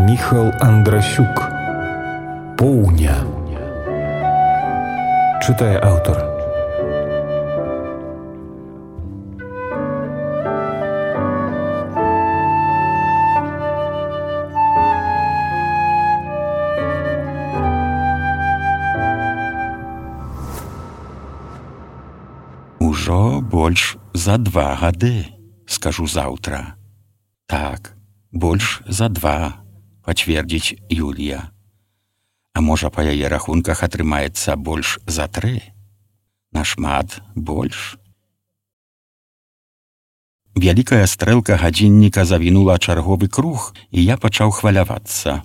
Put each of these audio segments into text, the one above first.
Міхал Андрасюк. Поўня. Чытае аўтар. Ужо больш за 2 гады, скажу заўтра. Так, больш за 2, пацвердзіць Юлія. А можа, па яе рахунках атрымаецца больш за 3? Нашмат больш? Вялікая стрэлка гадзінніка завінула чарговы круг, і я пачаў хвалявацца.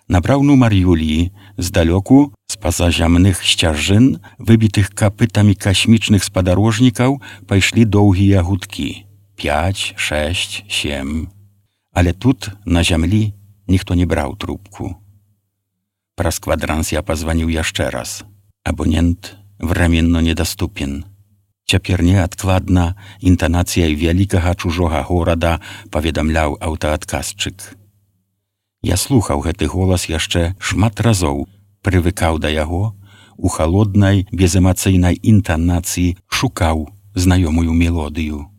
Набраў нумар Юліі, здалёку, з-па-за зямных сцяжын, выбітых капытамі касмічных спадарожнікаў, пайшлі доўгія гудкі. 5, 6, 7. Але тут, на зямлі, ніхто не браў трубку. Праз квадранс я пазваніў яшчэ раз. Абонент временно недоступен. Цяпер неадкладна інтанацыяй вялікага чужога горада паведамляў аўтаадказчык. Я слухаў гэты голас яшчэ шмат разоў, прывыкаў да яго, у халоднай, безэмацыйнай інтанацыі шукаў знаёмую мелодыю.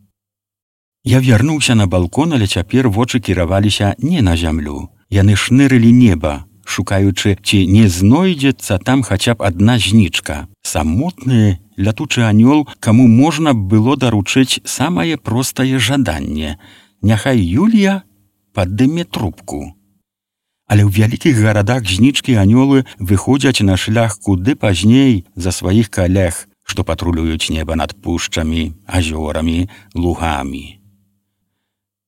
Я вярнуўся на балкон, але цяпер вочы кіраваліся не на зямлю. Яны шнырылі неба, шукаючы, ці не знойдзецца там хаця б адна знічка. Самотны лятучы анёл, каму можна было даручыць самае простае жаданне. Няхай Юлія падыме трубку. Але ў вялікіх гарадах знічкі анёлы выходзяць на шлях куды пазней за сваіх калег, што патрулююць неба над пушчамі, азёрамі, лугамі.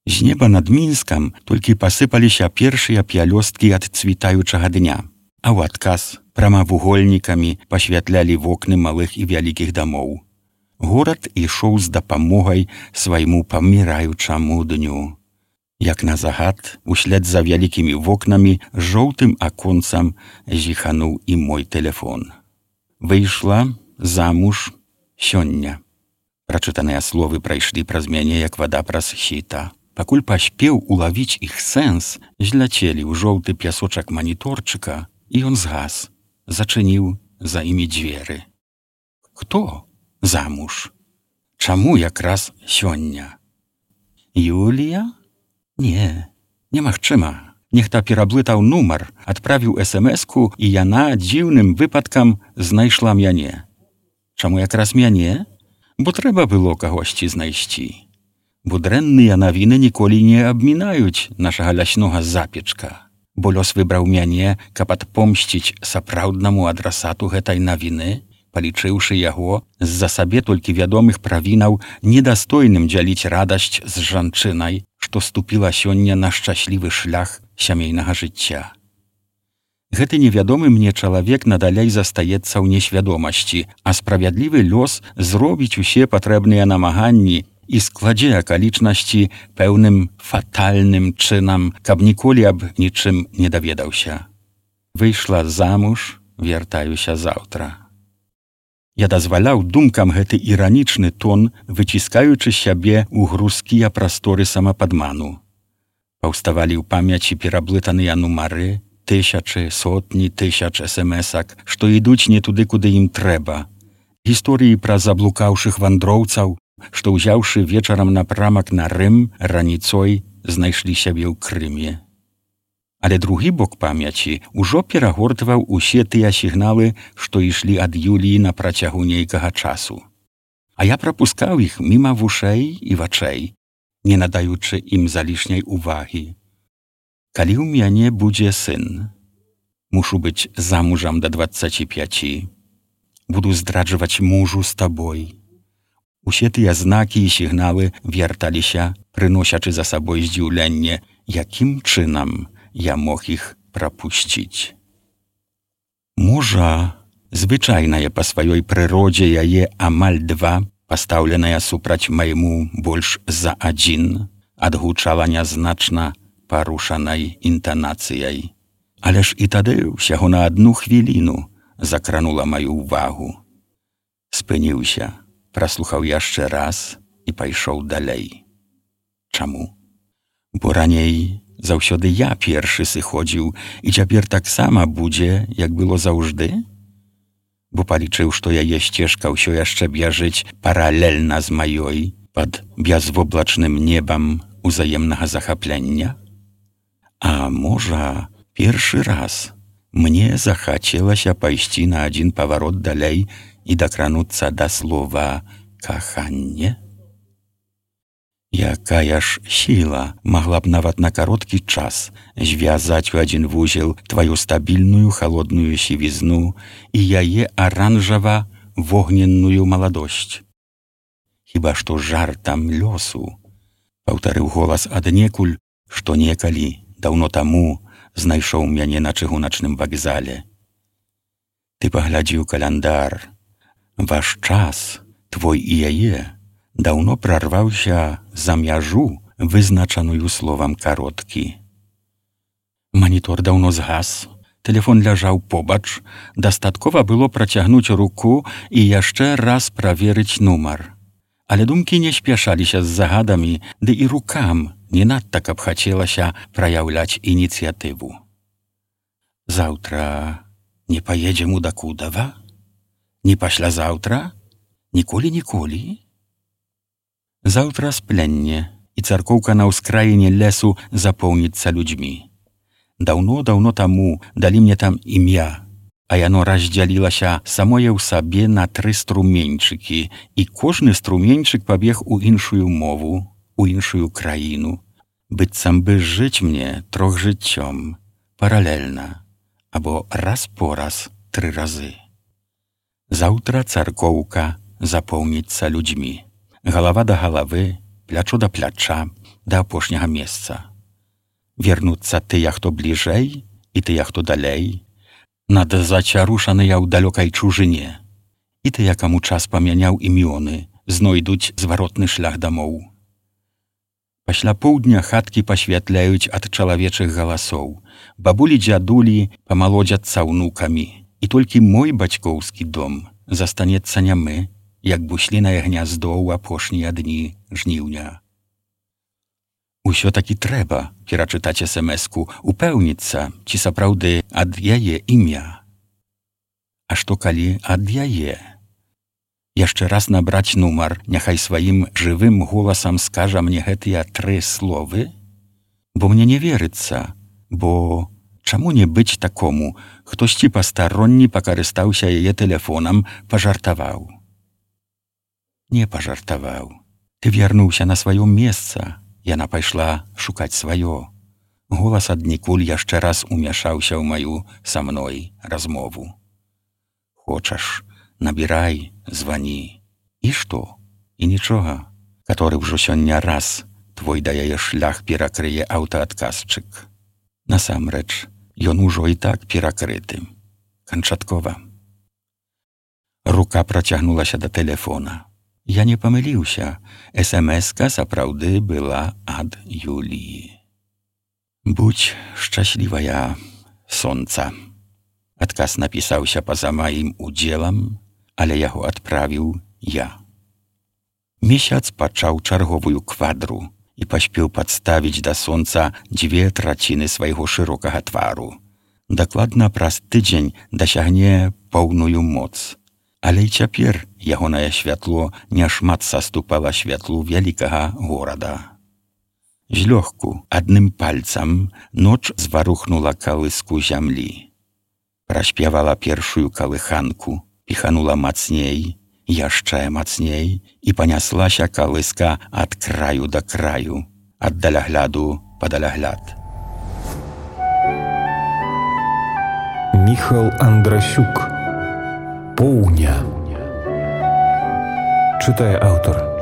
З неба над Мінскам толькі пасыпаліся першыя пялёсткі ад цвітаючага дня, а ў адказ прамавугольнікамі пасвятлялі вокны малых і вялікіх дамоў. Горад ішоў з дапамогай свайму паміраючаму дню. Як на загад, услед за вялікімі вокнамі, жоўтым аконцам зіхануў і мой тэлефон. Выйшла замуж сёння. Прачытаныя словы прайшлі праз мяне, як вада праз сіта. Пакуль паспеў улавіць іх сэнс, зляцелі ў жоўты пясочак маніторчыка, і ён згас, зачыніў за імі дзверы. Хто замуж? Чаму якраз сёння? Юлія? Не, немагчыма. Нехта пераблытаў нумар, адправіў смс-ку, і яна дзіўным выпадкам знайшла мяне. Чаму якраз мяне? Бо трэба было кагосьці знайсці. Бо дрэнныя навіны ніколі не абмінаюць нашага ляснога запечка. Бо лёс выбраў мяне, каб адпомсціць сапраўднаму адрасату гэтай навіны, палічыўшы яго з-за сабе толькі вядомых правінаў недастойным дзяліць радасць з жанчынай, што ступіла сёння на шчаслівы шлях сямейнага жыцця. Гэты невядомы мне чалавек надалей застаецца ў несвядомасці, а справядлівы лёс зробіць усе патрэбныя намаганні і складзе акалічнасці пэўным фатальным чынам, каб ніколі аб нічым не даведаўся. Выйшла замуж, вяртаюся заўтра. Я дазваляў думкам гэты іранічны тон, выціскаючы сябе ў грузкія прасторы самападману. Паўставалі ў памяці пераблытаныя нумары, тысячы, сотні тысяч смс-ак, што ідуць не туды, куды ім трэба. Гісторыі пра заблукаўшых вандроўцаў, што, узяўшы вечарам напрамак на Рым, раніцой знайшлі сябе ў Крыме. Але другі бок памяці ўжо перагортваў усе тыя сігналы, што ішлі ад Юліі на працягу нейкага часу. А я прапускаў іх міма вушэй і вачэй, не надаючы ім залішняй увагі. Калі ў мяне будзе сын, мушу быць замужам да 25, буду здраджваць мужу з табой. Усе тыя знакі і сігналы вярталіся, прыносячы за сабой здзіўленне, якім чынам я мог іх прапусціць. Можа, звычайнае па сваёй прыродзе яе амаль 2, пастаўленая супраць майму больш за 1, адгучала нязначна парушанай інтанацыяй. Але ж і тады ўсяго на 1 хвіліну закранула маю ўвагу. Спыніўся, праслухаў яшчэ раз і пайшоў далей. Чаму? Бо раней заўсёды я першы сыходзіў, і цяпер таксама будзе, як было заўжды? Бо палічыў, што яе сцежка ўсё яшчэ бяжыць паралельна з маёй пад бязвоблачным небам узаемнага захаплення? А можа, першы раз мне захацелася пайсці на адзін паварот далей і дакрануцца да слова «каханне»? Якая ж сіла магла б нават на кароткі час звязаць у адзін вузел тваю стабільную халодную сівізну і яе аранжава-вогненную маладосць? Хіба што жартам лёсу, паўтарыў голас аднекуль, што некалі, даўно таму, знайшоў мяне на чыгуначным вакзале. Ты паглядзі ў каляндар. Ваш час, твой і яе, даўно прарваўся за мяжу, вызначаную словам кароткі. Манітор даўно згас, тэлефон ляжаў побач, дастаткова было працягнуць руку і яшчэ раз праверыць нумар. Але думкі не спяшаліся з загадамі, ды і рукам не надта каб хацелася праяўляць ініцыятыву. Заўтра не паедзем у Дакудава? Не паслязаўтра? Ніколі-ніколі? Заўтра спленне, і царкоўка на ўскраіне лесу запоўніцца людзьмі. Даўно-даўно таму далі мне там імя, а яно раздзялілася самое ў сабе на 3 струменьчыкі, і кожны струменьчык пабег у іншую мову, у іншую краіну, быццам бы жыць мне 3 жыццём, паралельна, або раз по раз 3 разы. Заўтра царкоўка запоўніцца людзьмі. Галава да галавы, плячо да пляча, да апошняга месца. Вернуцца тыя, хто бліжэй, і тыя, хто далей, над зацярушаныя ў далёкай чужыне, і тыя, каму час памяняў імёны, знойдуць зваротны шлях дамоў. Пасля поўдня хаткі пасвятляюць ад чалавечых галасоў, бабулі-дзядулі памалодзяцца ўнукамі, і толькі мой бацькоўскі дом застанецца нямы, як буслінае гняздо ў апошнія дні жніўня. Усё-такі трэба перачытаць смс-ку, упэўніцца, ці сапраўды ад яе імя. А што калі ад яе? Яшчэ раз набраць нумар, няхай сваім жывым голасам скажа мне гэтыя 3 словы? Бо мне не верыцца, бо чаму не быць такому, хтосьці пастаронні пакарыстаўся яе тэлефонам, пажартаваў. Не пажартаваў. Ты вярнуўся на сваё месца. Яна пайшла шукаць сваё. Голас аднекуль яшчэ раз умяшаўся ў маю са мной размову. Хочаш, набірай, звані. І што? І нічога. Каторы ўжо сёння раз твой да яе шлях перакрые аўтаадказчык. Насамрэч, ён ужо і так перакрыты. Канчаткова. Рука працягнулася да тэлефона. Я не памыліўся. СМС-ка сапраўды была ад Юліі. Будь шчаслівая, сонца. Адказ напісаўся па-за маім удзелам, але яго адправіў я. Месяц пачаў чарговую квадру і паспеў падставіць да сонца 2/3 свайго шырокага твару. Дакладна праз тыдзень дасягне поўную моц. Але і цяпер ягонае святло няшмат саступала святлу вялікага горада. Злёгку, адным пальцам, ноч зварухнула калыску зямлі. Праспявала першую калыханку, піханула мацней, яшчэ мацней, і паняслася калыска ад краю да краю, ад далягляду па далягляд. Міхал Андрасюк. Поўня. Чытае аўтар.